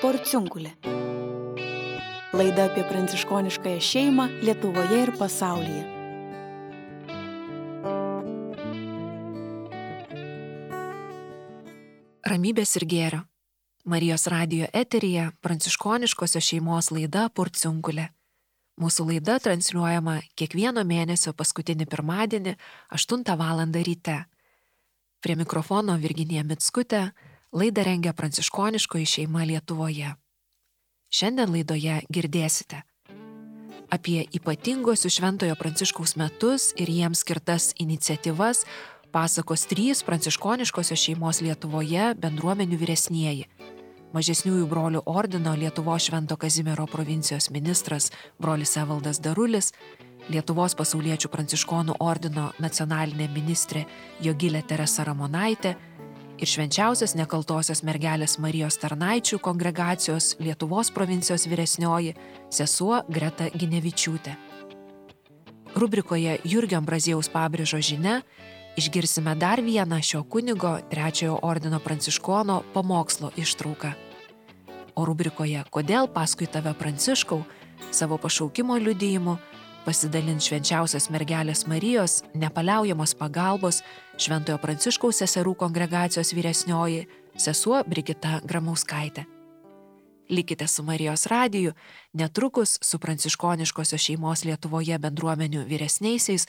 Porciunkulė. Laida apie pranciškoniškąją šeimą Lietuvoje ir pasaulyje. Ramybės ir gėrio. Marijos radijo eteryje pranciškoniškosios šeimos laida Porciunkulė. Mūsų laida transliuojama kiekvieno mėnesio paskutinį pirmadienį 8 val. Ryte. Prie mikrofono Virginija Mickutė, laidą rengia pranciškoniškoji šeima Lietuvoje. Šiandien laidoje girdėsite apie ypatingosius Šventojo Pranciškaus metus ir jiems skirtas iniciatyvas pasakos 3 pranciškoniškosios šeimos Lietuvoje bendruomenių vyresnieji. Mažesniųjų brolių ordino Lietuvos Švento Kazimiero provincijos ministras brolis Evaldas Darulis, Lietuvos pasauliečių pranciškonų ordino nacionalinė ministrė Jogilė Teresa Ramonaitė ir švenčiausios nekaltosios mergelės Marijos tarnaičių kongregacijos Lietuvos provincijos vyresnioji sesuo Greta Ginevičiūtė. Rubrikoje Jurgio Ambraziejaus Pabrėžos žinia išgirsime dar vieną šio kunigo 3 ordino pranciškono pamokslo ištrauką. O rubrikoje Kodėl paskui tave Pranciškau savo pašaukimo liudijimu pasidalins švenčiausios mergelės Marijos nepaliaujamos pagalbos Šventojo Pranciškaus seserų kongregacijos vyresnioji sesuo Brigita Gramauskaitė. Likite su Marijos radiju, netrukus su pranciškoniškosios šeimos Lietuvoje bendruomenių vyresniaisiais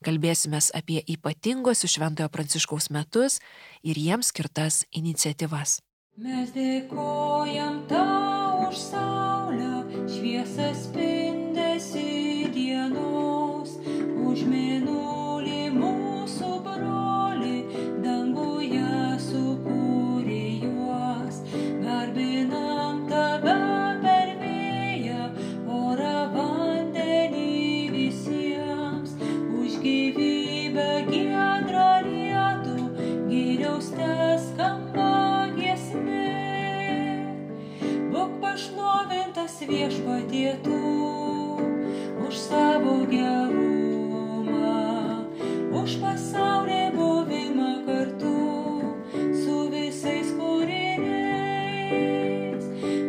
kalbėsimės apie ypatingosius Šventojo Pranciškaus metus ir jiems skirtas iniciatyvas. Mes dėkojam tau už saulę, šviesą spindesį dienos, už mėnulį mūsų brolį, danguje sukūrė juos. Garbinam tave per vėją, orą vandenį visiems, už gyvybę giedrą lietų, geriausia skamba giesmė. Būk pašlovintas Viešpatie tu už savo gerumą, už pasaulį buvimą kartu su visais kūriniais.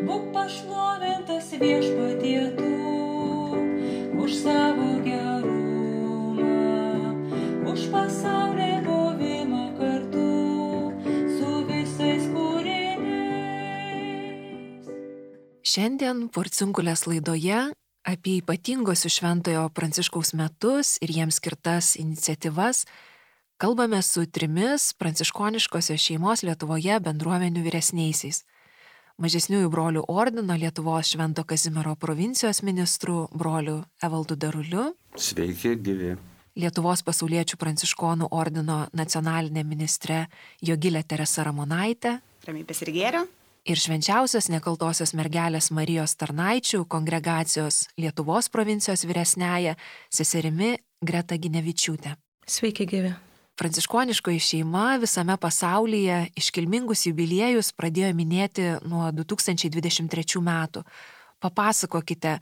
Būk pašlovintas Viešpatie tu už savo gerumą, už pasaulį buvimą kartu su visais kūriniais. Šiandien Porciunkulės laidoje apie ypatingosius Šventojo Pranciškaus metus ir jiems skirtas iniciatyvas kalbame su 3 pranciškoniškosios šeimos Lietuvoje bendruomenių vyresniaisiais. Mažesniųjų brolių ordino Lietuvos Švento Kazimiero provincijos ministru broliu Evaldu Daruliu. Sveiki, gyvi. Lietuvos pasauliečių pranciškonų ordino nacionalinė ministrė Jogilė Teresa Ramonaitė. Ramybės ir gėrio. Ir švenčiausios nekaltosios mergelės Marijos tarnaičių kongregacijos Lietuvos provincijos vyresniaja seserimi Greta Ginevičiūtė. Sveiki, gyvi. Pranciškoniškoji šeima visame pasaulyje iškilmingus jubiliejus pradėjo minėti nuo 2023 metų. Papasakokite,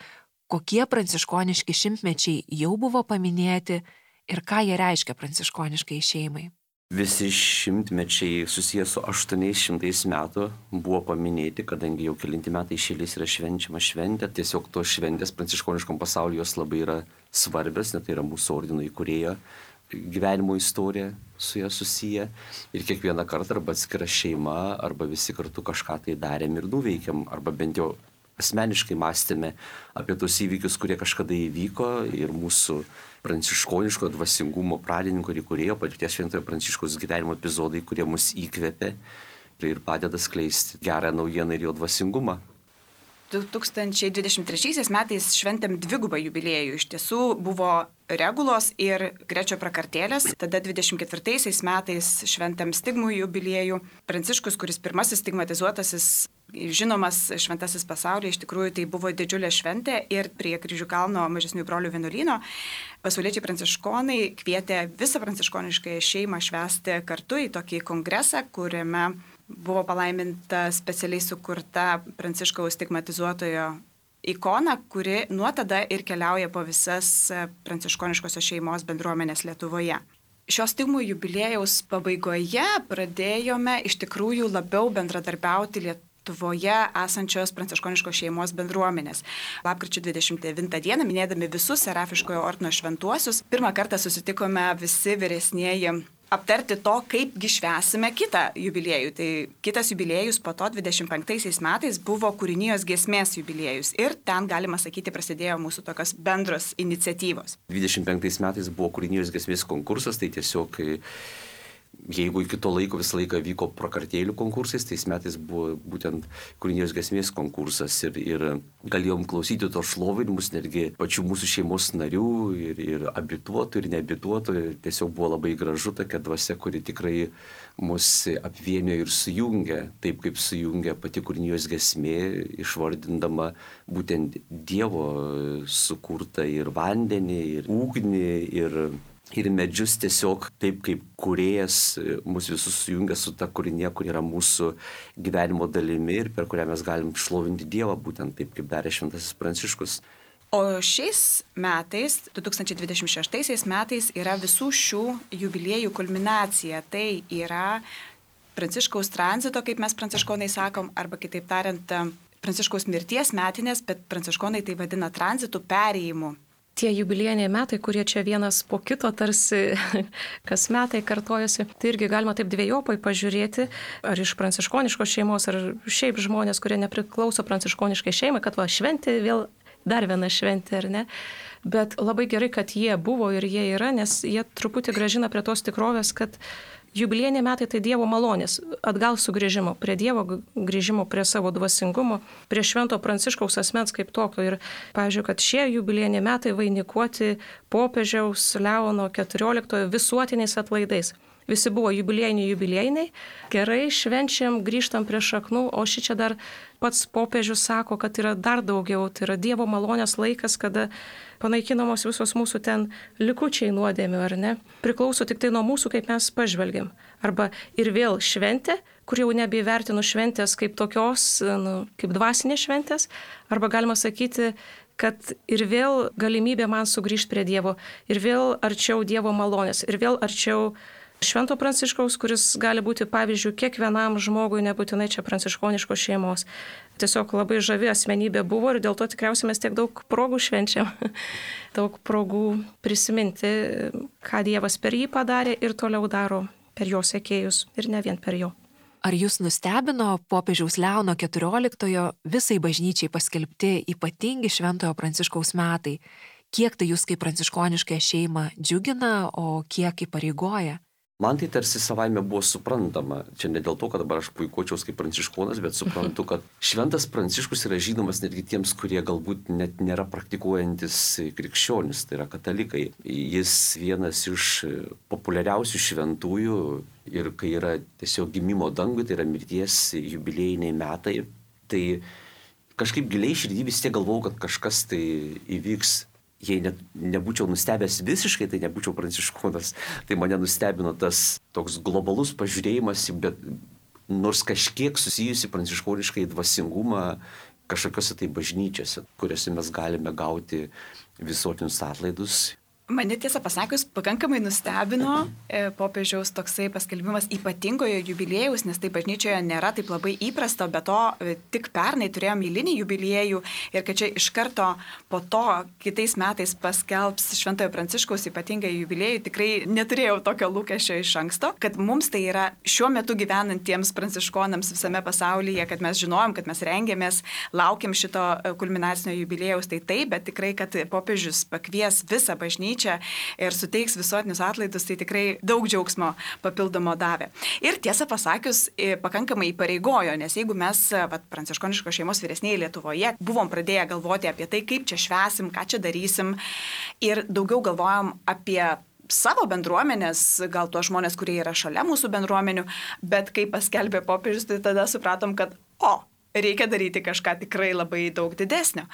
kokie pranciškoniški šimtmečiai jau buvo paminėti ir ką jie reiškia pranciškoniškai šeimai. Visi šimtmečiai susijęs su 800 metų buvo paminėti, kadangi jau kelinti metai iš eilės yra švenčiama šventė. Tiesiog tos šventės pranciškoniškam pasaulyje jos labai yra svarbios, nes tai yra mūsų ordino įkūrėjo gyvenimo istorija su ją susiję. Ir kiekvieną kartą arba atskira šeima, arba visi kartu kažką tai darėm ir nuveikėm, arba bent jau asmeniškai mąstėme apie tos įvykius, kurie kažkada įvyko ir mūsų pranciškoniško dvasingumo pradininko ir įkūrėjo patirties Šventojo Pranciškaus gyvenimo epizodai, kurie mus įkvėpė ir padeda skleisti gerą naujieną ir jo dvasingumą. 2023 metais šventėm 2 jubiliejų. Iš tiesų buvo regulos ir grečio prakartėlės. Tada 24 metais šventėm stigmų jubiliejų. Pranciškus, kuris pirmasis stigmatizuotasis, žinomas šventasis pasaulyje, iš tikrųjų tai buvo didžiulė šventė ir prie Kryžių kalno mažesniųjų brolių vienuolyno pasauliečiai pranciškonai kvietė visą pranciškoniškąją šeimą švęsti kartu į tokį kongresą, kuriame buvo palaiminta specialiai sukurta Pranciškaus stigmatizuotojo ikona, kuri nuo tada ir keliauja po visas pranciškoniškosios šeimos bendruomenės Lietuvoje. Šios stigmų jubiliejaus pabaigoje pradėjome iš tikrųjų labiau bendradarbiauti Lietuvoje esančios pranciškoniškos šeimos bendruomenės. Lapkričio 29 dieną, minėdami visus Serafiškojo ordino šventuosius, pirmą kartą susitikome visi vyresnieji aptarti to, kaipgi švęsime kitą jubiliejų. Tai kitas jubiliejus po to 25 metais buvo kūrinijos giesmės jubiliejus. Ir ten, galima sakyti, prasidėjo mūsų tokios bendros iniciatyvos. 25 metais buvo kūrinijos giesmės konkursas, tai tiesiog jeigu iki to laiko visą laiką vyko prakartėlių konkursais, tais metais buvo būtent kūrinijos giesmės konkursas ir galėjom klausyti to šlovinimus netgi pačių mūsų šeimos narių ir abituotų ir neabituotų. Tiesiog buvo labai gražu tokia dvasia, kuri tikrai mus apvienio ir sujungia, taip kaip sujungia pati kūrinijos giesmė, išvardindama būtent Dievo sukurtą ir vandenį, ir ugnį, ir medžius, tiesiog taip kaip kūrėjas mus visus sujungia su ta kūrinė, kur yra mūsų gyvenimo dalimi ir per kurią mes galim šlovinti Dievą, būtent taip kaip darė Šventasis Pranciškus. O šiais metais, 2026 metais, yra visų šių jubiliejų kulminacija. Tai yra Pranciškaus tranzito, kaip mes pranciškonai sakom, arba kitaip tariant, Pranciškaus mirties metinės, bet pranciškonai tai vadina tranzitų perėjimu. Tie jubiliejiniai metai, kurie čia vienas po kito tarsi kas metai kartojasi, tai irgi galima taip dviejopai pažiūrėti, ar iš pranciškoniškos šeimos, ar šiaip žmonės, kurie nepriklauso pranciškoniškai šeimai, kad va šventė vėl dar viena šventė, ar ne? Bet labai gerai, kad jie buvo ir jie yra, nes jie truputį grąžina prie tos tikrovės, kad jubiliejiniai metai tai Dievo malonės, atgal sugrįžimo, prie Dievo grįžimo, prie savo dvasingumo, prie Švento Pranciškaus asmens kaip tokio. Ir, pavyzdžiui, kad šie jubiliejiniai metai vainikuoti popiežiaus Leono XIV visuotiniais atlaidais. Visi buvo jubiliejiniai, gerai švenčiam, grįžtam prie šaknų, o šičia dar pats popiežius sako, kad yra dar daugiau, tai yra Dievo malonės laikas, kada panaikinamos visos mūsų ten likučiai nuodėmių, ar ne? Priklauso tik tai nuo mūsų, kaip mes pažvelgiam. Arba ir vėl šventė, kur jau nebeįvertinu šventės kaip tokios, kaip dvasinės šventės, arba galima sakyti, kad ir vėl galimybė man sugrįžti prie Dievo, ir vėl arčiau Dievo malonės, ir vėl arčiau Švento Pranciškaus, kuris gali būti pavyzdžių kiekvienam žmogui, nebūtinai čia pranciškoniškos šeimos. Tiesiog labai žavi asmenybė buvo ir dėl to tikriausiai mes tiek daug progų švenčiam. Daug progų prisiminti, ką Dievas per jį padarė ir toliau daro per jo sekėjus ir ne vien per jo. Ar jūs nustebino popiežiaus Leono XIV visai bažnyčiai paskelbti ypatingi Šventojo Pranciškaus metai? Kiek tai jūs kaip pranciškoniškąją šeimą džiugina, o kiek įpareigoja? Man tai tarsi savaime buvo suprantama. Čia ne dėl to, kad dabar aš puikuočiaus kaip pranciškonas, bet suprantu, kad Šventas Pranciškus yra žinomas netgi tiems, kurie galbūt net nėra praktikuojantis krikščionis, tai yra katalikai. Jis vienas iš populiariausių šventųjų ir kai yra tiesiog gimimo dangui, tai yra mirties jubiliejiniai metai, tai kažkaip giliai širdį vis tiek galvojau, kad kažkas tai įvyks. Jei nebūčiau nustebęs visiškai, tai nebūčiau pranciškonas. Tai mane nustebino tas toks globalus pažiūrėjimas, bet nors kažkiek susijusi pranciškoniškai dvasingumą kažkokiose tai bažnyčiose, kuriuose mes galime gauti visuotinius atlaidus. Mane tiesą pasakius, pakankamai nustebino popiežiaus toksai paskelbimas ypatingojo jubiliejaus, nes tai bažnyčioje nėra taip labai įprasta, bet to tik pernai turėjom eilinį jubiliejų ir kad čia iš karto po to kitais metais paskelbs Šventojo Pranciškaus ypatingą jubiliejų, tikrai neturėjau tokio lūkesčio iš anksto, kad mums tai yra šiuo metu gyvenantiems pranciškonams visame pasaulyje, kad mes žinojom, kad mes rengiamės, laukiam šito kulminacinio jubiliejaus, tai taip, bet tikrai, kad popiežius pakvies visą bažnyčią ir suteiks visuotinius atlaidus, tai tikrai daug džiaugsmo papildomo davė. Ir tiesą pasakius, pakankamai įpareigojo, nes jeigu mes, pranciškoniškos šeimos vyresniai Lietuvoje, buvom pradėję galvoti apie tai, kaip čia švęsim, ką čia darysim ir daugiau galvojom apie savo bendruomenės, gal tuos žmonės, kurie yra šalia mūsų bendruomenių, bet kai paskelbė popiežius, tai tada supratom, kad reikia daryti kažką tikrai labai daug didesnio.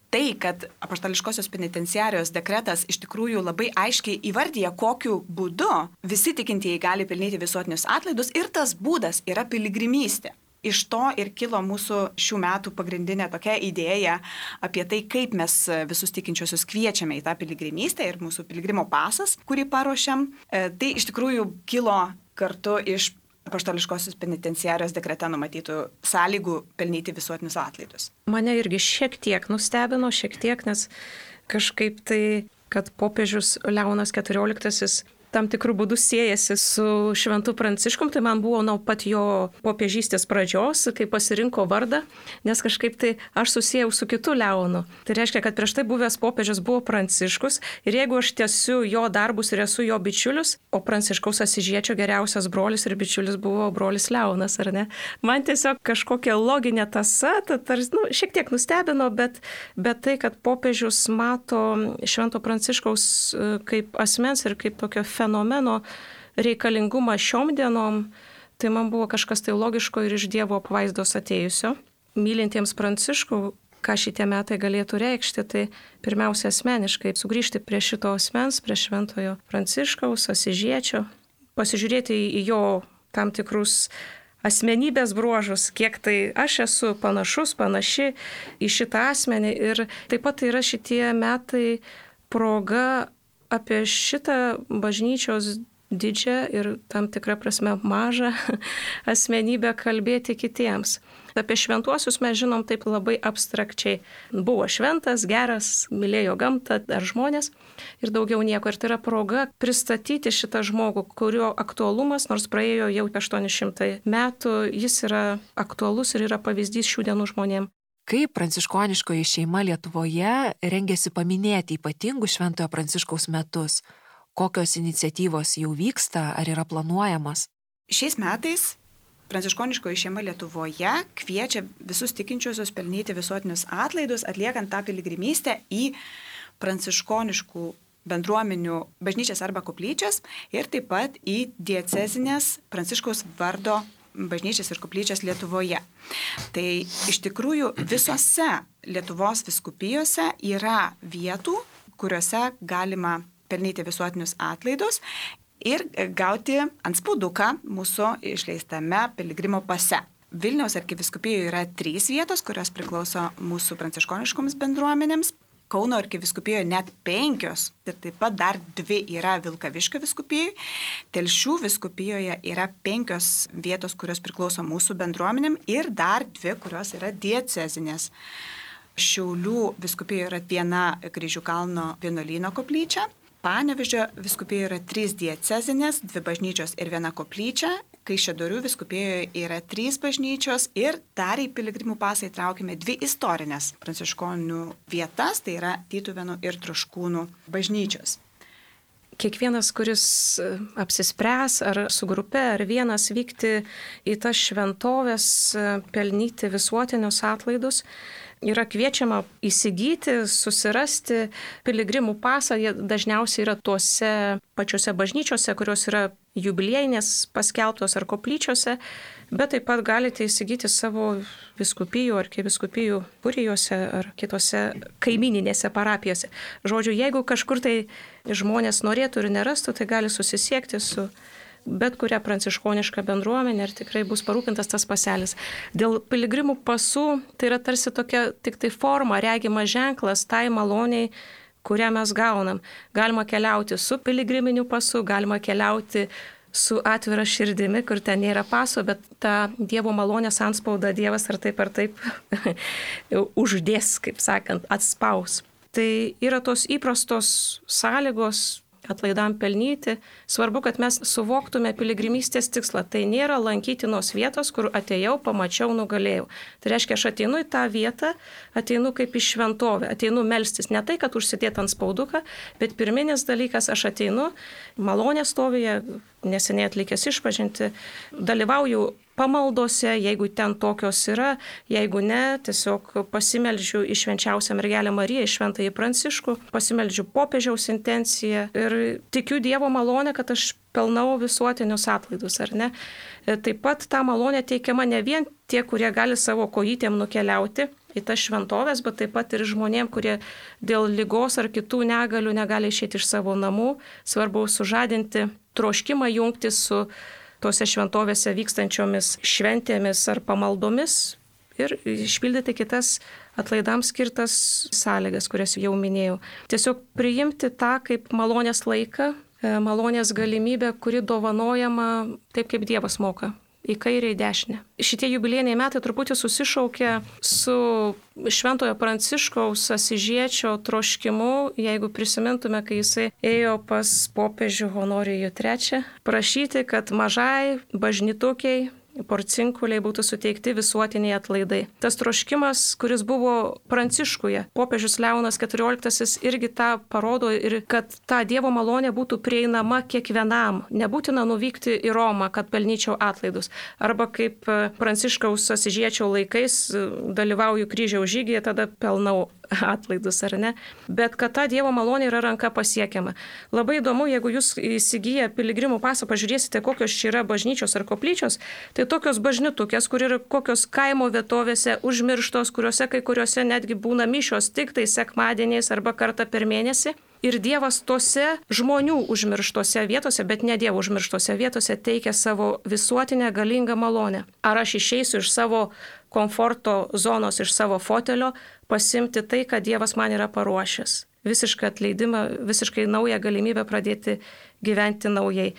Tai, kad apaštališkosios penitenciarijos dekretas iš tikrųjų labai aiškiai įvardyja, kokiu būdu visi tikintieji gali pelnyti visuotinius atlaidus ir tas būdas yra piligrimystė. Iš to ir kilo mūsų šių metų pagrindinė tokia idėja apie tai, kaip mes visus tikinčiosius kviečiame į tą piligrimystę ir mūsų piligrimo pasas, kurį paruošiam. Tai iš tikrųjų kilo kartu iš apaštališkosios penitenciarijos dekrete numatytų sąlygų pelnyti visuotinius atlaidus. Mane irgi šiek tiek nustebino, nes kažkaip tai, kad popiežius Leonas XIV tam tikrų būdų siejasi su Šventu Pranciškum, tai man buvo nuo pat jo popiežystės pradžios, kai pasirinko vardą, nes kažkaip tai aš susijau su kitu Leonu. Tai reiškia, kad prieš tai buvęs popiežius buvo Pranciškus ir jeigu aš tęsiu jo darbus ir esu jo bičiulis, o Pranciškaus Asyžiečio geriausias brolis ir bičiulis buvo brolis Leonas, ar ne? Man tiesiog kažkokia loginė tąsa, šiek tiek nustebino, bet tai, kad popiežius mato Švento Pranciškaus kaip asmens ir kaip tokio fenomeno reikalingumą šiom dienom, tai man buvo kažkas tai logiško ir iš Dievo apvaizdos atėjusio. Mylintiems Pranciškų, ką šitie metai galėtų reikšti, tai pirmiausia asmeniškai sugrįžti prie šito asmens, prie Šventojo Pranciškaus, Asyžiečio, pasižiūrėti į jo tam tikrus asmenybės bruožus, kiek tai aš esu panaši į šitą asmenį. Ir taip pat yra šitie metai proga apie šitą bažnyčios didžią ir tam tikrą prasme mažą asmenybę kalbėti kitiems. Apie šventuosius mes žinom taip labai abstrakčiai. Buvo šventas, geras, mylėjo gamtą ar žmonės ir daugiau nieko. Ir tai yra proga pristatyti šitą žmogų, kurio aktualumas, nors praėjo jau 800 metų, jis yra aktualus ir yra pavyzdys šių dienų žmonėms. Kaip pranciškoniškoji šeima Lietuvoje rengiasi paminėti ypatingus Šventojo Pranciškaus metus? Kokios iniciatyvos jau vyksta ar yra planuojamas? Šiais metais pranciškoniškoji šeima Lietuvoje kviečia visus tikinčiuosius pelnyti visuotinius atlaidus, atliekant tą piligrimystę į pranciškoniškų bendruomenių bažnyčias arba koplyčias ir taip pat į diecezinės Pranciškaus vardo bažnyčias ir koplyčias Lietuvoje. Tai iš tikrųjų visose Lietuvos vyskupijose yra vietų, kuriuose galima pelnyti visuotinius atlaidus ir gauti antspauduką mūsų išleistame piligrimo pase. Vilniaus arkivyskupijoje yra 3 vietos, kurios priklauso mūsų pranciškoniškoms bendruomenėms. Kauno arkivyskupijoje net 5 ir taip pat dar 2 yra Vilkaviškio vyskupijoje. Telšių vyskupijoje yra 5 vietos, kurios priklauso mūsų bendruomenėm ir dar 2, kurios yra diecezinės. Šiaulių vyskupijoje yra 1 Kryžių kalno vienuolyno koplyčia. Panevėžio vyskupijoje yra 3 diecezinės, 2 bažnyčios ir 1 koplyčia. Kaišiadorių vyskupijoje yra 3 bažnyčios ir dar į piligrimų pasą įtraukime 2 istorinės pranciškonių vietas, tai yra Tytuvėnų ir Troškūnų bažnyčios. Kiekvienas, kuris apsispręs ar su grupe, ar vienas vykti į tas šventovės, pelnyti visuotinius atlaidus, yra kviečiama įsigyti, susirasti piligrimų pasą. Jie dažniausiai yra tuose pačiose bažnyčiose, kurios yra jubiliejinės paskelbtos ar koplyčiose, bet taip pat galite įsigyti savo vyskupijų ar arkivyskupijų kurijose ar kitose kaimininėse parapijose. Žodžiu, jeigu kažkur tai žmonės norėtų ir nerastų, tai gali susisiekti su bet kurią pranciškonišką bendruomenę ir tikrai bus parūpintas tas paselis. Dėl piligrimų pasų tai yra tarsi tokia tik tai forma, regimas ženklas tai maloniai, kurią mes gaunam. Galima keliauti su piligriminiu pasu, galima keliauti su atvira širdimi, kur ten nėra paso, bet tą Dievo malonės antspaudą Dievas ar taip uždės, kaip sakant, atspaus. Tai yra tos įprastos sąlygos atlaidam pelnyti. Svarbu, kad mes suvoktume piligrimystės tikslą. Tai nėra lankytinos vietos, kur atėjau, pamačiau, nugalėjau. Tai reiškia, aš ateinu į tą vietą, ateinu kaip į šventovę, ateinu melstis. Ne tai, kad užsidėt ant spauduką, bet pirminis dalykas, aš ateinu malonės stovėje, neseniai atlikęs išpažinti, dalyvauju pamaldose, jeigu ten tokios yra, jeigu ne, tiesiog pasimeldžiu į švenčiausią mergelę Mariją, į šventąjį Pranciškų, pasimeldžiu popiežiaus intenciją ir tikiu Dievo malonę, kad aš pelnau visuotinius atlaidus, ar ne? Taip pat ta malonė teikiama ne vien tie, kurie gali savo kojytėm nukeliauti į tas šventovės, bet taip pat ir žmonėm, kurie dėl ligos ar kitų negalių negali išeiti iš savo namų. Svarbu sužadinti troškimą jungtis su tose šventovėse vykstančiomis šventėmis ar pamaldomis ir išpildyti kitas atlaidams skirtas sąlygas, kurias jau minėjau. Tiesiog priimti tą kaip malonės laiką, malonės galimybė, kuri dovanojama taip, kaip Dievas moka. Į kairę, į dešinę. Šitie jubiliejiniai metai truputį susišaukia su Šventojo Pranciškaus Asyžiečio troškimu, jeigu prisimintume, kai jisai ėjo pas popiežių Honorijų III, prašyti, kad mažai bažnytukiai Porcinkuliai būtų suteikti visuotiniai atlaidai. Tas troškimas, kuris buvo Pranciškuje, popiežius Leonas XIV irgi tą parodo ir kad ta Dievo malonė būtų prieinama kiekvienam. Nebūtina nuvykti į Romą, kad pelnyčiau atlaidus. Arba kaip Pranciškaus Asyžiečio laikais dalyvauju kryžiaus žygyje, tada pelnau atlaidus, ar ne? Bet kad ta Dievo malonė yra ranka pasiekiama. Labai įdomu, jeigu jūs įsigiję piligrimų pasą pažiūrėsite, kokios čia yra bažnyčios ar koplyčios, tai tokios bažnytukės, kur yra kokios kaimo vietovėse užmirštos, kuriuose kai kuriuose netgi būna mišios tik tai sekmadieniais arba kartą per mėnesį. Ir Dievas tose žmonių užmirštose vietose, bet ne Dievo užmirštose vietose teikia savo visuotinę galingą malonę. Ar aš išeisiu iš savo komforto zonos, iš savo fotelio, pasimti tai, kad Dievas man yra paruošęs. Visišką atleidimą, visiškai naują galimybę pradėti gyventi naujai.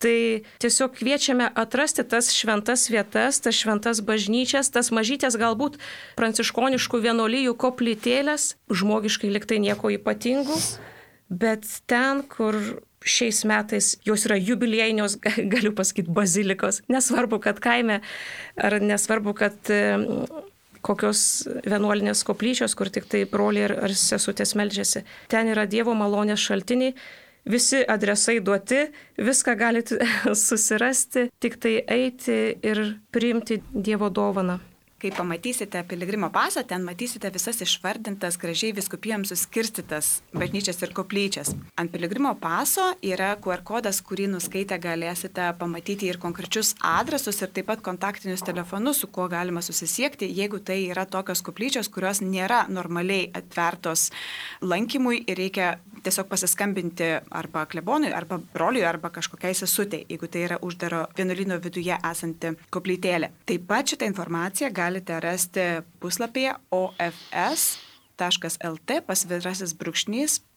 Tai tiesiog kviečiame atrasti tas šventas vietas, tas šventas bažnyčias, tas mažytės galbūt pranciškoniškų vienuolijų koplytėlės, žmogiškai liktai nieko ypatingų, bet ten, kur šiais metais jos yra jubiliejinios, galiu pasakyti, bazilikos. Nesvarbu, kad kaime, ar nesvarbu, kad kokios vienuolinės koplyčios, kur tik tai broliai ar sesutės meldžiasi. Ten yra Dievo malonės šaltiniai, visi adresai duoti, viską galite susirasti, tik tai eiti ir priimti Dievo dovaną. Kai pamatysite piligrimo pasą, ten matysite visas išvardintas, gražiai vyskupijoms suskirstytas bažnyčias ir koplyčias. Ant piligrimo paso yra QR kodas, kurį nuskaitę galėsite pamatyti ir konkrečius adresus ir taip pat kontaktinius telefonus, su kuo galima susisiekti, jeigu tai yra tokios koplyčios, kurios nėra normaliai atvertos lankymui ir reikia tiesiog pasiskambinti arba klebonui, arba broliui, arba kažkokiai sesutei, jeigu tai yra uždaro vienuolyno viduje esanti koplytėlė. Taip pat šitą informaciją galite rasti puslapyje ofs.lt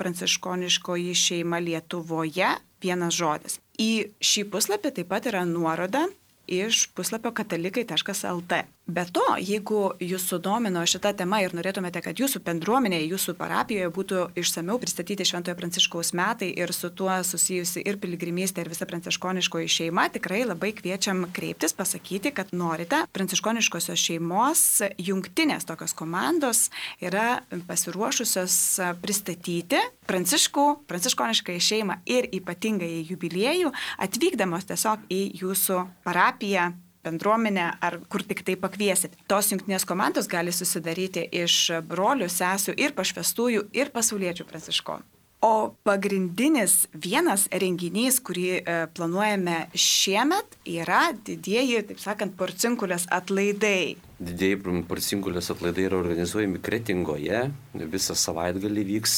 /pranciškoniškoji šeima Lietuvoje vienas žodis. Į šį puslapį taip pat yra nuoroda iš puslapio katalikai.lt. Be to, jeigu jūs sudomino šitą temą ir norėtumėte, kad jūsų bendruomenėje, jūsų parapijoje būtų išsamiau pristatyti Šventojo Pranciškaus metai ir su tuo susijusi ir piligrimystė ir visa pranciškoniškoji šeima, tikrai labai kviečiam kreiptis, pasakyti, kad norite. Pranciškoniškosios šeimos jungtinės tokios komandos yra pasiruošusios pristatyti pranciškoniškąją šeimą ir ypatingai jubiliejų, atvykdamos tiesiog į jūsų parapiją, bendruomenę ar kur tik tai pakviesit. Tos jungtinės komandos gali susidaryti iš brolių, sesių ir pašvestųjų ir pasauliečių pranciškonų. O pagrindinis vienas renginys, kurį planuojame šiemet, yra didieji, taip sakant, Porcinkulės atlaidai. Didieji Porcinkulės atlaidai yra organizuojami Kretingoje, visą savaitgalį vyks,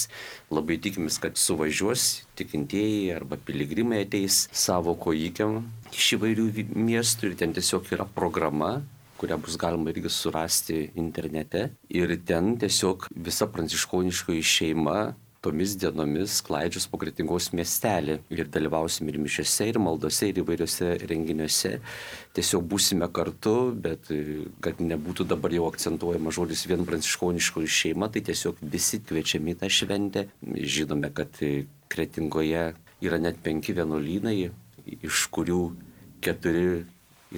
labai tikimės, kad suvažiuos tikintieji arba piligrimai ateis savo kojykiam iš įvairių miestų ir ten tiesiog yra programa, kurią bus galima irgi surasti internete ir ten tiesiog visa pranciškoniškoji šeima tomis dienomis klaidžius po Kretingos miestelį ir dalyvausim ir mišiose, ir maldose, ir įvairiose renginiuose. Tiesiog būsime kartu, bet kad nebūtų dabar jau akcentuojama žodis vien pranciškoniškoji šeima, tai tiesiog visi kviečiami tą šventę. Žinome, kad Kretingoje yra net 5 vienuolynai, iš kurių 4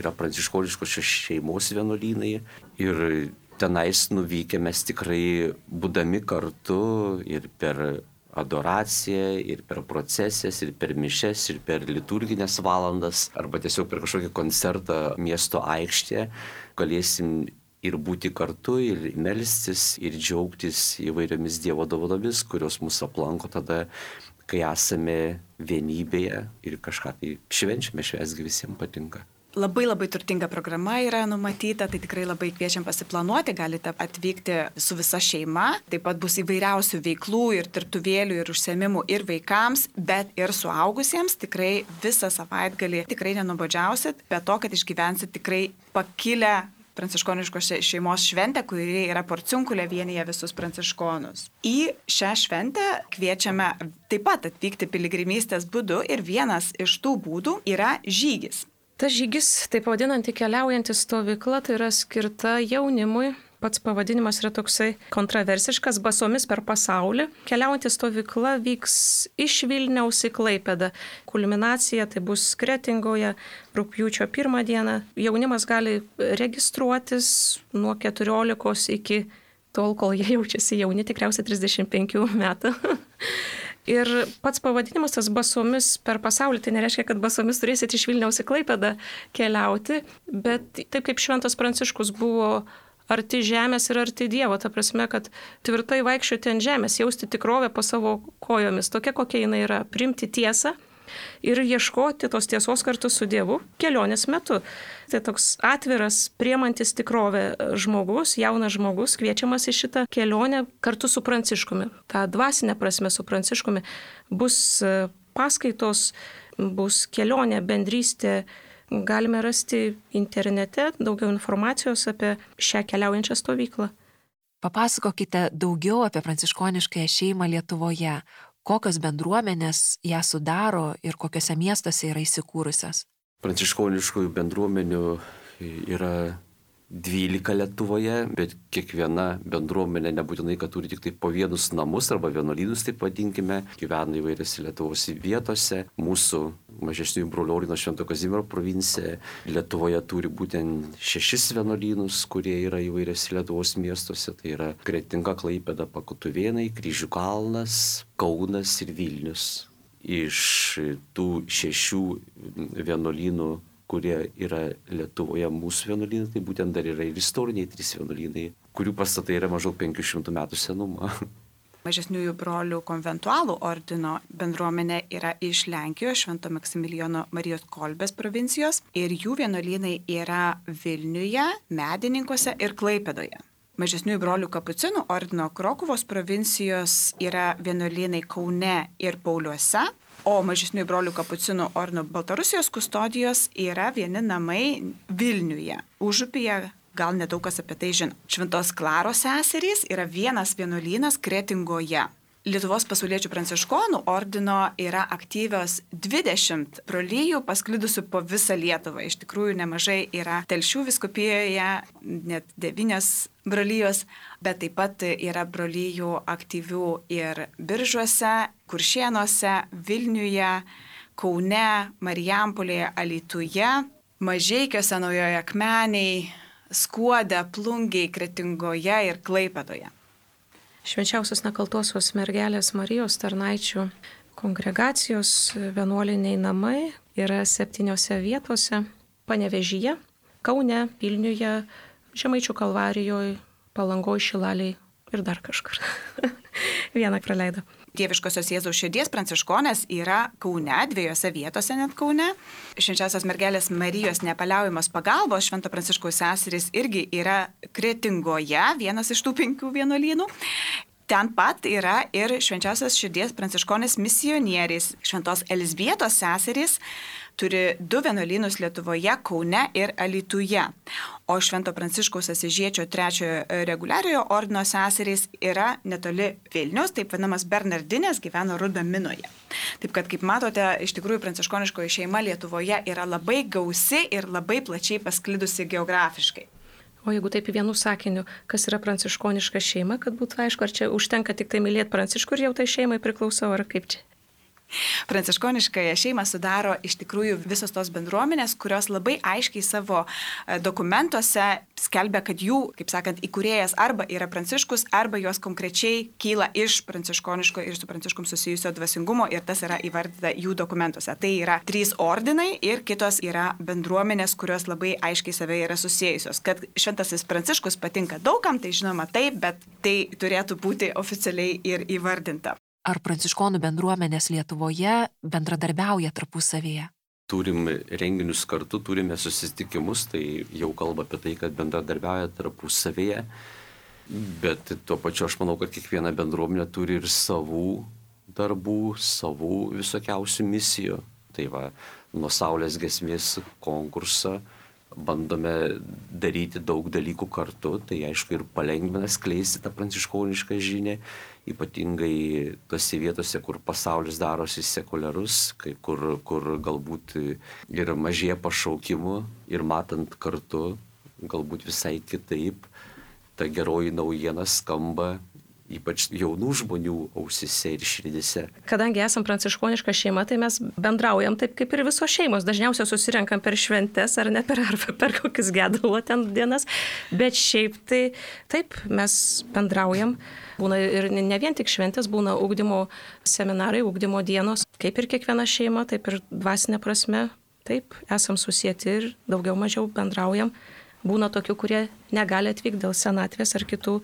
yra pranciškoniškos šeimos vienuolynai ir tenais nuvykę mes tikrai būdami kartu ir per adoraciją, ir per procesijas, ir per mišes, ir per liturginės valandas, arba tiesiog per kažkokį koncertą miesto aikštėje, galėsim ir būti kartu, ir melstis, ir džiaugtis įvairiomis Dievo dovanomis, kurios mus aplanko tada, kai esame vienybėje ir kažką tai švenčiame, švęsgi visiems patinka. Labai turtinga programa yra numatyta, tai tikrai labai kviečiam pasiplanuoti, galite atvykti su visa šeima, taip pat bus įvairiausių veiklų ir dirbtuvėlių ir užsiėmimų ir vaikams, bet ir suaugusiems, tikrai visą savaitgalį tikrai nenubodžiausit, be to, kad išgyvensit tikrai pakilę pranciškoniškos šeimos šventę, kuri yra Porciunkulė, vienyje visus pranciškonus. Į šią šventę kviečiame taip pat atvykti piligrimystės būdu ir vienas iš tų būdų yra žygis. Tas žygis, taip vadinanti keliaujanti stovykla, tai yra skirta jaunimui. Pats pavadinimas yra toksai kontroversiškas, basomis per pasaulį. Keliaujanti stovykla vyks iš Vilniaus į Klaipėdą. Kulminacija tai bus Kretingoje rugpjūčio 1 dieną. Jaunimas gali registruotis nuo 14 iki tol, kol jie jaučiasi jauni, tikriausiai 35 metų. Ir pats pavadinimas tas basomis per pasaulį, tai nereiškia, kad basomis turėsit iš Vilniaus į Klaipėdą keliauti, bet taip kaip Šventas Pranciškus buvo arti žemės ir arti Dievo, ta prasme, kad tvirtai vaikščioti ant žemės, jausti tikrovę po savo kojomis, tokia kokia jinai yra, priimti tiesą ir ieškoti tos tiesos kartu su Dievu kelionės metu. Tai toks atviras, priemantis tikrovę žmogus, jaunas žmogus, kviečiamas į šitą kelionę kartu su Pranciškumi. Ta dvasinė prasme su Pranciškumi bus paskaitos, bus kelionė, bendrystė. Galime rasti internete daugiau informacijos apie šią keliaujančią stovyklą. Papasakokite daugiau apie pranciškoniškąją šeimą Lietuvoje. Kokios bendruomenės ją sudaro ir kokiuose miestuose yra įsikūrusios? Pranciškoniškųjų bendruomenių yra 12 Lietuvoje, bet kiekviena bendruomenė nebūtinai, kad turi tik tai po vienus namus arba vienuolynus, taip vadinkime, gyvena įvairiose Lietuvos vietose. Mūsų mažesniųjų brolių ordino Švento Kazimiero provincija Lietuvoje turi būtent 6 vienuolynus, kurie yra įvairiose Lietuvos miestuose. Tai yra Kretinga, Klaipėda, Pakutuvėnai, Kryžių kalnas, Kaunas ir Vilnius. Iš tų 6 vienuolynų, kurie yra Lietuvoje mūsų vienuolynai, tai būtent dar yra ir istoriniai 3 vienuolynai, kurių pastatai yra maždaug 500 metų senumo. Mažesniųjų brolių konventualų ordino bendruomenė yra iš Lenkijos, Švento Maksimilijono Marijos Kolbės provincijos ir jų vienuolynai yra Vilniuje, Medininkuose ir Klaipėdoje. Mažesniųjų brolių kapucinų ordino Krokuvos provincijos yra vienuolynai Kaune ir Pauliuose. O mažesniųjų brolių kapucinų ordino Baltarusijos kustodijos yra vieni namai Vilniuje, Užupyje, gal nedaug kas apie tai žino. Šventos Klaros seserys yra vienas vienuolynas Kretingoje. Lietuvos pasauliečių pranciškonų ordino yra aktyvios 20 brolijų pasklidusių po visą Lietuvą. Iš tikrųjų nemažai yra Telšių vyskupijoje, net 9 brolijos, bet taip pat yra brolijų aktyvių ir Biržuose, Kuršėnuose, Vilniuje, Kaune, Marijampolėje, Alytuje, Mažeikiuose, Naujoje Akmenėje, Skuode, Plungėje, Kretingoje ir Klaipėdoje. Švenčiausios nekaltosios mergelės Marijos tarnaičių kongregacijos vienuoliniai namai yra 7 vietose: Panevėžyje, Kaune, Vilniuje, Žemaičių Kalvarijoje, Palangoje, Šilalėje ir dar kažkur. Vieną praleido. Dieviškosios Jėzaus širdies pranciškonės yra Kaune, 2 vietose net Kaune. Švenčiausios mergelės Marijos nepaliaujamos pagalbos Švento Pranciškaus seserys irgi yra Kretingoje, vienas iš tų 5 vienuolynų. Ten pat yra ir Švenčiausios širdies pranciškonės misionieriais. Šventos Elzbietos seserys turi 2 vienuolynus Lietuvoje, Kaune ir Alytuje. O Švento Pranciškaus Asyžiečio 3 reguliariojo ordino seserys yra netoli Vilniaus, taip vadinamas Bernardinės, gyveno Rudaminoje. Taip kad, kaip matote, iš tikrųjų pranciškoniškoji šeima Lietuvoje yra labai gausi ir labai plačiai pasklidusi geografiškai. O jeigu taip vienu sakiniu, kas yra pranciškoniška šeima, kad būtų aišku, ar čia užtenka tik tai mylėti Pranciškų ir jau tai šeimai priklausau, ar kaip čia? Pranciškoniškąją šeimą sudaro iš tikrųjų visos tos bendruomenės, kurios labai aiškiai savo dokumentuose skelbia, kad jų, kaip sakant, įkūrėjas arba yra Pranciškus, arba jos konkrečiai kyla iš pranciškoniško ir su Pranciškum susijusio dvasingumo ir tas yra įvardyta jų dokumentuose. Tai yra 3 ordinai ir kitos yra bendruomenės, kurios labai aiškiai save yra susijusios. Kad Šventasis Pranciškus patinka daugam, tai žinoma taip, bet tai turėtų būti oficialiai ir įvardinta. Ar pranciškonų bendruomenės Lietuvoje bendradarbiauja tarpusavėje? Turim renginius kartu, turime susitikimus, tai jau kalba apie tai, kad bendradarbiauja tarpusavėje, bet tuo pačiu aš manau, kad kiekviena bendruomenė turi ir savų darbų, savų visokiausių misijų. Tai va, nuo Saulės giesmės konkursą bandome daryti daug dalykų kartu, tai aišku ir palengvina skleisti tą pranciškonišką žinią, ypatingai tose vietose, kur pasaulis darosi sekuliarus, kur galbūt ir mažėja pašaukimų ir matant kartu, galbūt visai kitaip, ta geroji naujiena skamba ypač jaunų žmonių ausise ir širdise. Kadangi esam pranciškoniška šeima, tai mes bendraujam taip kaip ir visos šeimos. Dažniausiai susirenkam per šventes ar ne per kokius gedulo ten dienas, bet šiaip tai taip mes bendraujam. Būna ir ne vien tik šventės, būna ugdymo seminarai, ugdymo dienos, kaip ir kiekviena šeima, taip ir dvasinė prasme. Taip, esam susieti ir daugiau mažiau bendraujam. Būna tokių, kurie negali atvykti dėl senatvės ar kitų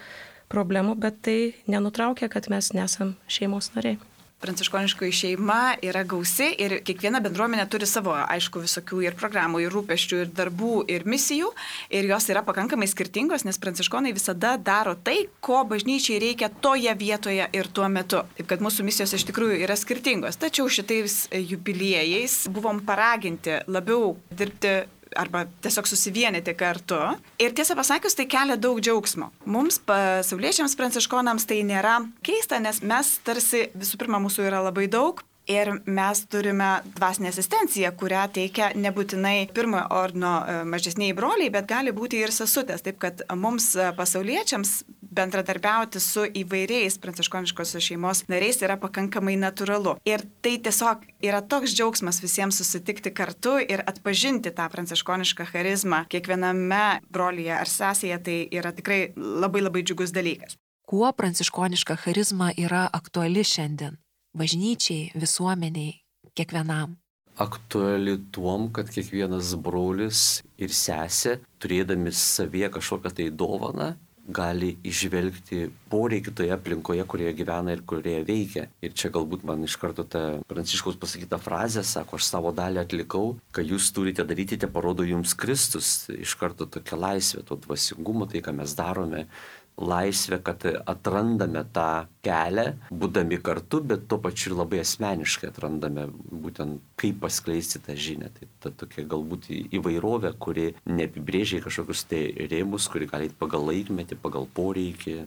problemų, bet tai nenutraukia, kad mes nesam šeimos nariai. Pranciškoniškoji šeima yra gausi ir kiekviena bendruomenė turi savo, aišku, visokių ir programų, ir rūpesčių, ir darbų, ir misijų. Ir jos yra pakankamai skirtingos, nes pranciškonai visada daro tai, ko bažnyčiai reikia toje vietoje ir tuo metu. Taip kad mūsų misijos iš tikrųjų yra skirtingos. Tačiau šitais jubiliejais buvom paraginti labiau dirbti arba tiesiog susivienyti kartu. Ir tiesą pasakius, tai kelia daug džiaugsmo. Mums, pasauliečiams pranciškonams, tai nėra keista, nes mes tarsi, visų pirma, mūsų yra labai daug. Ir mes turime dvasinę asistenciją, kurią teikia nebūtinai pirmojo ordino mažesniai broliai, bet gali būti ir sesutės. Taip kad mums pasauliečiams bendradarbiauti su įvairiais pranciškoniškosios šeimos nariais yra pakankamai natūralu. Ir tai tiesiog yra toks džiaugsmas visiems susitikti kartu ir atpažinti tą pranciškonišką charizmą kiekviename brolyje ar sesėje. Tai yra tikrai labai labai džiugus dalykas. Kuo pranciškoniška charizma yra aktuali šiandien? Bažnyčiai, visuomeniai, kiekvienam. Aktuali tuom, kad kiekvienas brolis ir sesė, turėdami savyje kažkokią tai dovaną, gali išvelgti poreikį toje aplinkoje, kurioje gyvena ir kurioje veikia. Ir čia galbūt man iš karto ta Pranciškaus pasakyta frazė, sako, aš savo dalį atlikau, ką jūs turite daryti, te parodo jums Kristus. Iš karto tokia laisvė, to dvasingumo, tai ką mes darome. Laisvė, kad atrandame tą kelią, būdami kartu, bet tuo pačiu ir labai asmeniškai atrandame būtent kaip paskleisti tą žinią. Tai ta tokia galbūt įvairovė, kuri neapibrėžia kažkokius tai rėmus, kuri gali pagal laikmetį, pagal poreikį.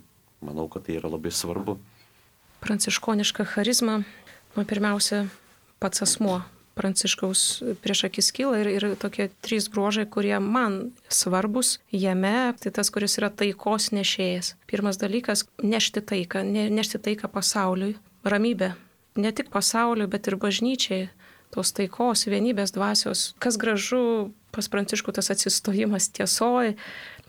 Manau, kad tai yra labai svarbu. Pranciškoniška charizma, pirmiausia, pats asmuo Pranciškaus prieš akis kyla ir tokie 3 bruožai, kurie man svarbus jame, tai tas, kuris yra taikos nešėjas. Pirmas dalykas - nešti taiką pasauliui, ramybę. Ne tik pasauliui, bet ir bažnyčiai, tos taikos, vienybės dvasios. Kas gražu pas Pranciškų tas atsistojimas tiesoj.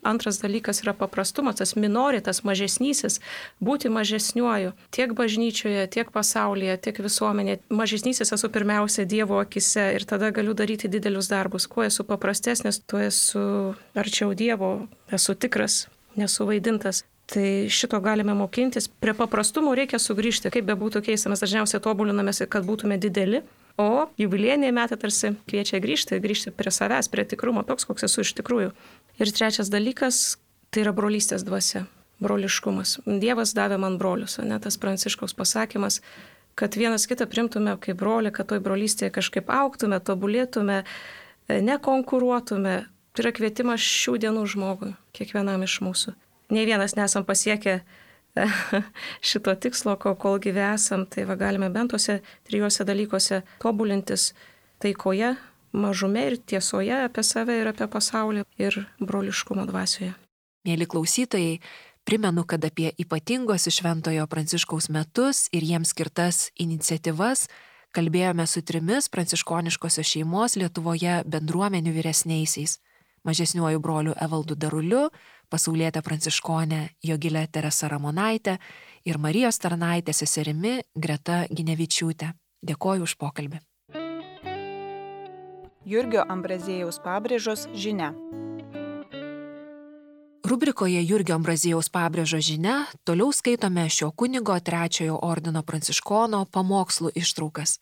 Antras dalykas yra paprastumas, tas minoritas, mažesnysis, būti mažesniuoju tiek bažnyčioje, tiek pasaulyje, tiek visuomenėje. Mažesnysis esu pirmiausia Dievo akise ir tada galiu daryti didelius darbus. Kuo esu paprastesnis, tuo esu arčiau Dievo, esu tikras, nesuvaidintas. Tai šito galime mokintis. Prie paprastumo reikia sugrįžti, kaip bebūtų keista, mes dažniausiai tobulinamės, kad būtume dideli. O jubiliejiniai metai tarsi kviečia grįžti prie savęs, prie tikrumo, toks, koks esu iš tikrųjų. Ir trečias dalykas - tai yra brolystės dvasia, broliškumas. Dievas davė man brolius, ne tas Pranciškaus pasakymas, kad vienas kitą primtume kaip brolį, kad toj brolystėje kažkaip augtume, tobulėtume, nekonkuruotume. Tai yra kvietimas šių dienų žmogui, kiekvienam iš mūsų. Nei vienas nesam pasiekę šito tikslo, kol gyve esam, tai galime bent tuose 3 dalykuose tobulintis taikoje, mažume ir tiesoje apie save ir apie pasaulį ir broliškumo dvasioje. Mėly klausytojai, primenu, kad apie ypatingos Šventojo Pranciškaus metus ir jiems skirtas iniciatyvas kalbėjome su 3 pranciškoniškosios šeimos Lietuvoje bendruomenių vyresniaisiais. Mažesniuoju broliu Evaldu Daruliu, pasaulietė pranciškonė Jogilė Teresa Ramonaitė ir Marijos tarnaitė seserimi Greta Ginevičiūtė. Dėkoju už pokalbį. Jurgio Ambraziejaus pabrėžos žinia. Rubrikoje Jurgio Ambraziejaus pabrėžo žinia toliau skaitome šio kunigo 3 ordino pranciškono pamokslų ištraukas.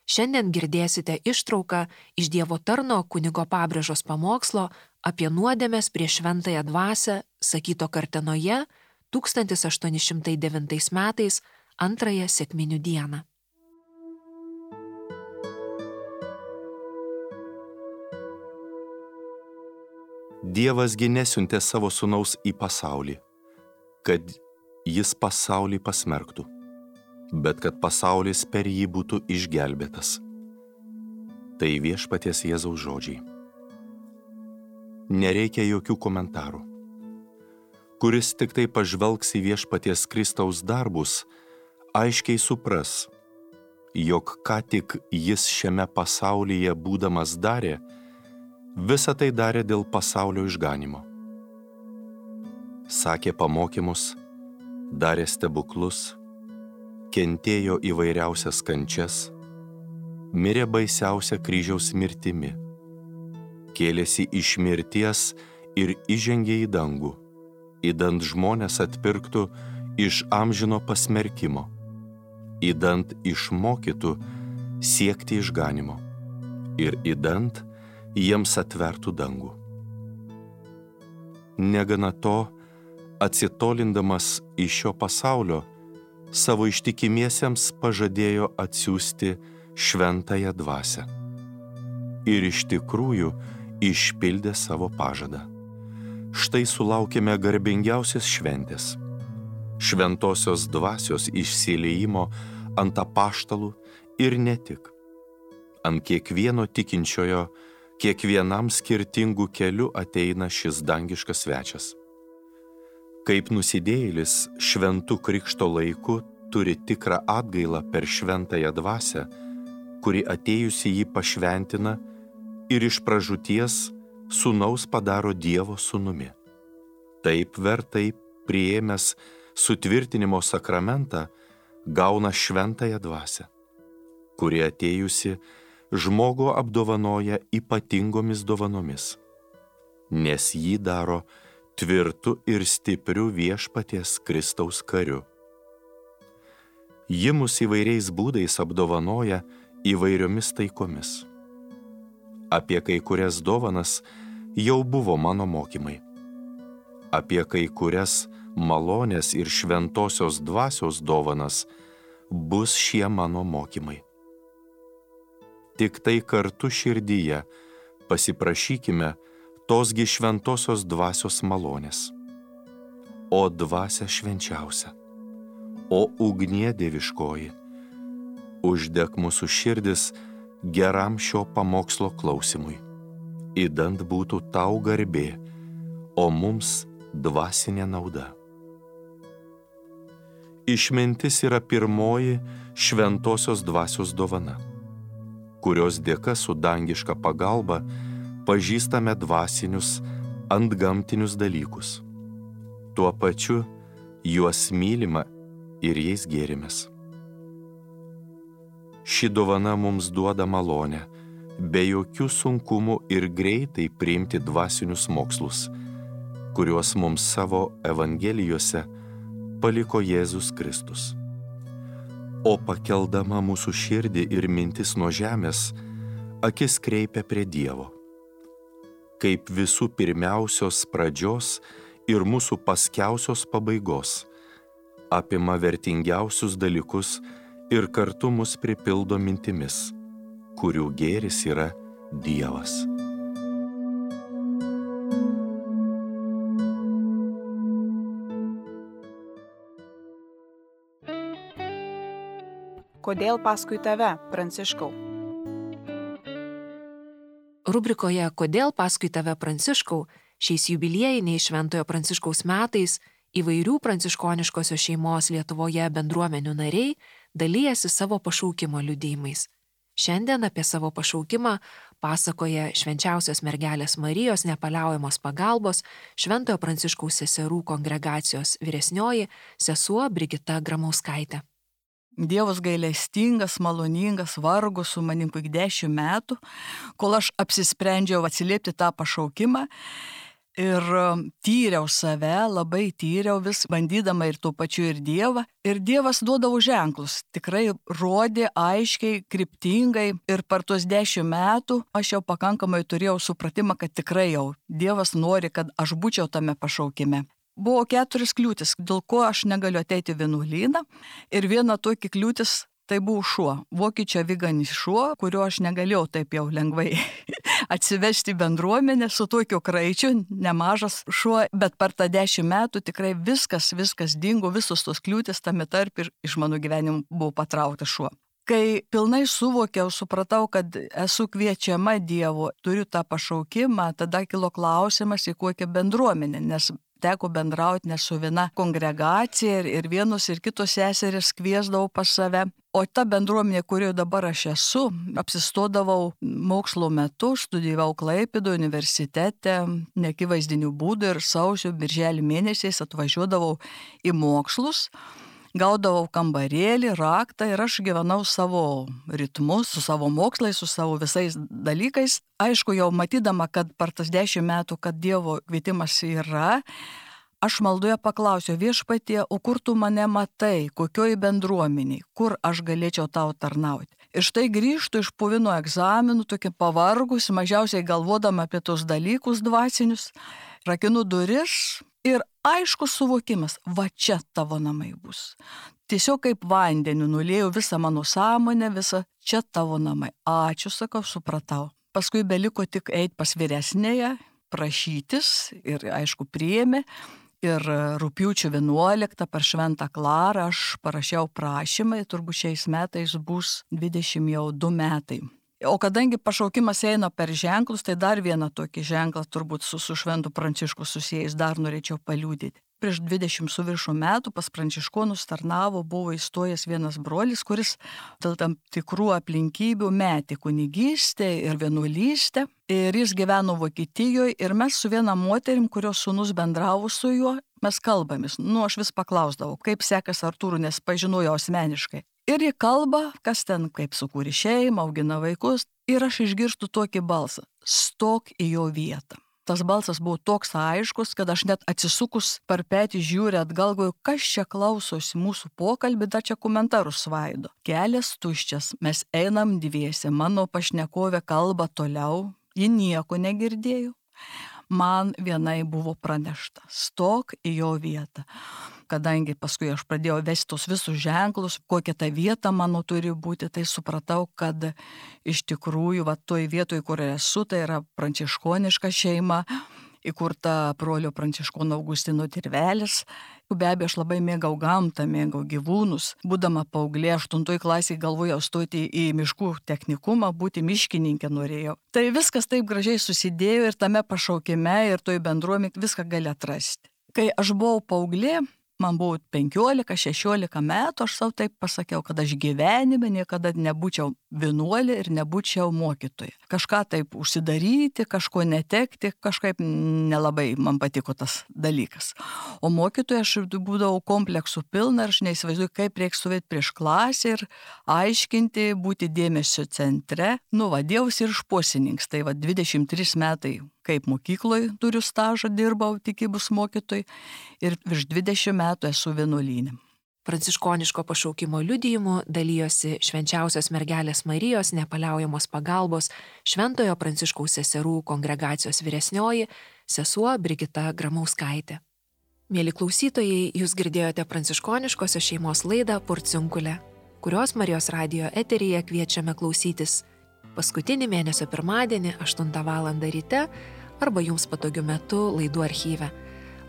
Šiandien girdėsite ištrauką iš Dievo tarno kunigo pabrėžos pamokslo apie nuodėmes prieš šventąją dvasią, sakyto Kartenoje 1809 metais 2 sekminių dieną. Dievasgi nesiuntė savo sūnaus į pasaulį, kad jis pasaulį pasmerktų, bet kad pasaulis per jį būtų išgelbėtas. Tai Viešpaties Jėzaus žodžiai. Nereikia jokių komentarų. Kuris tik tai pažvelgs į Viešpaties Kristaus darbus, aiškiai supras, jog ką tik jis šiame pasaulyje būdamas darė, visą tai darė dėl pasaulio išganimo. Sakė pamokymus, darė stebuklus, kentėjo įvairiausias kančias, mirė baisiausia kryžiaus mirtimi, kėlėsi iš mirties ir įžengė į dangų, idant žmonės atpirktų iš amžino pasmerkimo, idant išmokytų siekti išganimo ir idant jiems atvertų dangų. Negana to, atsitolindamas iš šio pasaulio, savo ištikimiesiems pažadėjo atsiųsti šventąją dvasią. Ir iš tikrųjų išpildė savo pažadą. Štai sulaukėme garbingiausios šventės – šventosios dvasios išsiliejimo ant apaštalų ir ne tik. Ant kiekvieno tikinčiojo, kiekvienam skirtingų kelių ateina šis dangiškas svečias. Kaip nusidėjėlis šventų krikšto laiku turi tikrą atgailą per šventąją dvasią, kuri atėjusi jį pašventina ir iš pražūties sūnaus padaro Dievo sūnumi. Taip vertai priėmęs sutvirtinimo sakramentą gauna šventąją dvasią, kuri atėjusi žmogų apdovanoja ypatingomis dovanomis, nes jį daro tvirtu ir stipriu Viešpaties Kristaus kariu. Ji mus įvairiais būdais apdovanoja įvairiomis taikomis. Apie kai kurias dovanas jau buvo mano mokymai. Apie kai kurias malonės ir šventosios dvasios dovanas bus šie mano mokymai. Tik tai kartu širdyje pasiprašykime tosgi šventosios dvasios malonės. O dvasia švenčiausia, o ugnie dieviškoji, uždek mūsų širdis geram šio pamokslo klausimui, idant būtų tau garbė, o mums dvasinė nauda. Išmintis yra pirmoji šventosios dvasios dovana, kurios dėka su dangiška pagalba pažįstame dvasinius, antgamtinius dalykus. Tuo pačiu juos mylima ir jais gėrimės. Ši dovana mums duoda malonę, be jokių sunkumų ir greitai priimti dvasinius mokslus, kuriuos mums savo evangelijose paliko Jėzus Kristus. O pakeldama mūsų širdį ir mintis nuo žemės, akis kreipia prie Dievo. Kaip visų pirmiausios pradžios ir mūsų paskiausios pabaigos, apima vertingiausius dalykus ir kartu mus pripildo mintimis, kurių gėris yra Dievas. Kodėl paskui tave, Pranciškau? Rubrikoje Kodėl paskui tave, Pranciškau, šiais jubiliejiniais Šventojo Pranciškaus metais įvairių pranciškoniškosios šeimos Lietuvoje bendruomenių nariai dalyjasi savo pašaukimo liudijimais. Šiandien apie savo pašaukimą pasakoja Švenčiausios mergelės Marijos nepaliaujamos pagalbos Šventojo Pranciškaus seserų kongregacijos vyresnioji sesuo Brigita Gramauskaitė. Dievas gailestingas, maloningas, vargo su manim 10 metų, kol aš apsisprendžiau atsiliepti tą pašaukimą ir tyriau save, labai tyriau vis, bandydama ir tuo pačiu ir Dievą. Ir Dievas duodavo ženklus, tikrai rodė aiškiai, kryptingai ir per tuos 10 metų aš jau pakankamai turėjau supratimą, kad tikrai jau Dievas nori, kad aš būčiau tame pašaukime. Buvo 4 kliūtis, dėl ko aš negaliu ateiti į vienuolyną. Ir viena tokia kliūtis tai buvo šuo, vokiečio aviganis šuo, kurio aš negalėjau taip jau lengvai atsivesti bendruomenę su tokiu kraičiu, nemažas šuo, bet per tą 10 metų tikrai viskas dingo, visos tos kliūtis tame tarp ir iš mano gyvenimo buvo patrauktas šuo. Kai pilnai suvokiau, supratau, kad esu kviečiama Dievo, turiu tą pašaukimą, tada kilo klausimas, į kokią bendruomenę, nes teko bendrauti ne su viena kongregacija ir vienos ir kitos seserys kviesdavau pas save. O ta bendruomenė, kurioje dabar aš esu, apsistodavau mokslo metu, studijavau Klaipėdoje universitete, neakivaizdinių būdų ir sausio, birželio mėnesiais atvažiuodavau į mokslus. Gaudavau kambarėlį, raktą ir aš gyvenau savo ritmus, su savo mokslais, su savo visais dalykais. Aišku, jau matydama, kad per tas 10 metų, kad Dievo kvietimas yra, aš maldoje paklausiau Viešpatie, o kur tu mane matai, kokioj bendruomeniai, kur aš galėčiau tau tarnauti. Ir štai grįžtu iš puvino egzaminų, tokia pavargus, mažiausiai galvodama apie tos dalykus dvasinius, rakinu duris. Ir aiškus suvokimas, va čia tavo namai bus. Tiesiog kaip vandeniu nulėjau visą mano sąmonę, visą čia tavo namai. Ačiū, sakau, supratau. Paskui beliko tik eiti pas vyresnėje, prašytis ir aišku priėmė. Ir rugpjūčio 11 per Šventą Klarą aš parašiau prašymą, turbūt šiais metais bus 22 metai. O kadangi pašaukimas eina per ženklus, tai dar vieną tokį ženklą turbūt su Šventu Prancišku susijęs dar norėčiau paliudyti. Prieš 20 su viršų metų pas pranciškonus tarnavo, buvo įstojęs vienas brolis, kuris dėl tam tikrų aplinkybių metė kunigystę ir vienuolystę. Ir jis gyveno Vokietijoje ir mes su viena moterim, kurios sūnus bendravo su juo, mes kalbamės. Aš vis paklausdavau, kaip sekas Artūrų, nes pažinojau asmeniškai. Ir jie kalba, kas ten, kaip sukūrė šeimą, augina vaikus. Ir aš išgirstu tokį balsą. Stok į jo vietą. Tas balsas buvo toks aiškus, kad aš net atsisukus per petį žiūrė atgal, kas čia klausosi mūsų pokalbį, dar čia komentarus svaido. Kelias tuščias, mes einam dviese, mano pašnekovė kalba toliau, ji nieko negirdėjo. Man vienai buvo pranešta, stok į jo vietą. Kadangi paskui aš pradėjau vesti tos visus ženklus, kokia ta vieta mano turi būti, tai supratau, kad iš tikrųjų, toj vietoj, kur esu, tai yra pranciškoniška šeima, įkurta brolio Pranciškono Augustino Tirvelis. Be abejo, aš labai mėgau gamtą, mėgau gyvūnus. Būdama paauglė, 8 klasėje galvojau stoti į miškų technikumą, būti miškininkė norėjau. Tai viskas taip gražiai susidėjo ir tame pašaukime ir toj bendruomenėje viską gali atrasti. Kai aš buvau paauglė, man buvo 15-16 metų, aš savo taip pasakiau, kad aš gyvenime niekada nebūčiau vienuolė ir nebūčiau mokytoja. Kažką taip užsidaryti, kažko netekti, kažkaip nelabai man patiko tas dalykas. O mokytoja aš būdavau kompleksų pilna ir aš neįsivaizduoju, kaip reikia stovėti prieš klasę ir aiškinti, būti dėmesio centre. Vadėjausi ir šposininkas, tai 23 metai. Kaip mokykloje turiu stažą, dirbau tikybos mokytojai ir virš 20 metų esu vienuolyne. Pranciškoniško pašaukimo liudijimu dalyjosi Švenčiausios mergelės Marijos nepaliaujamos pagalbos Šventojo Pranciškaus seserų kongregacijos vyresnioji sesuo Brigita Gramauskaitė. Mėly klausytojai, jūs girdėjote pranciškoniškosios šeimos laidą Porciunkulė, kurios Marijos radijo eteryje kviečiame klausytis paskutinį mėnesio pirmadienį 8 val. Ryte arba jums patogiu metu laidų archyve.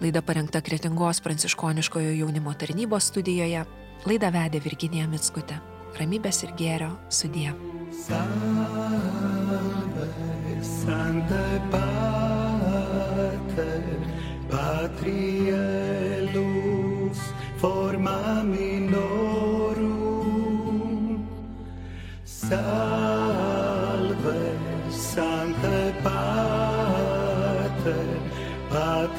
Laida parengta Kretingos pranciškoniškojo jaunimo tarnybos studijoje. Laidą vedė Virginija Mickutė. Ramybės ir gėrio sudie. Salve, Sancte Pater, Patrielus, forma minorum. Salve, Sancte Pater, Patrielus,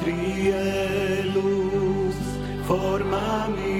forma minorum.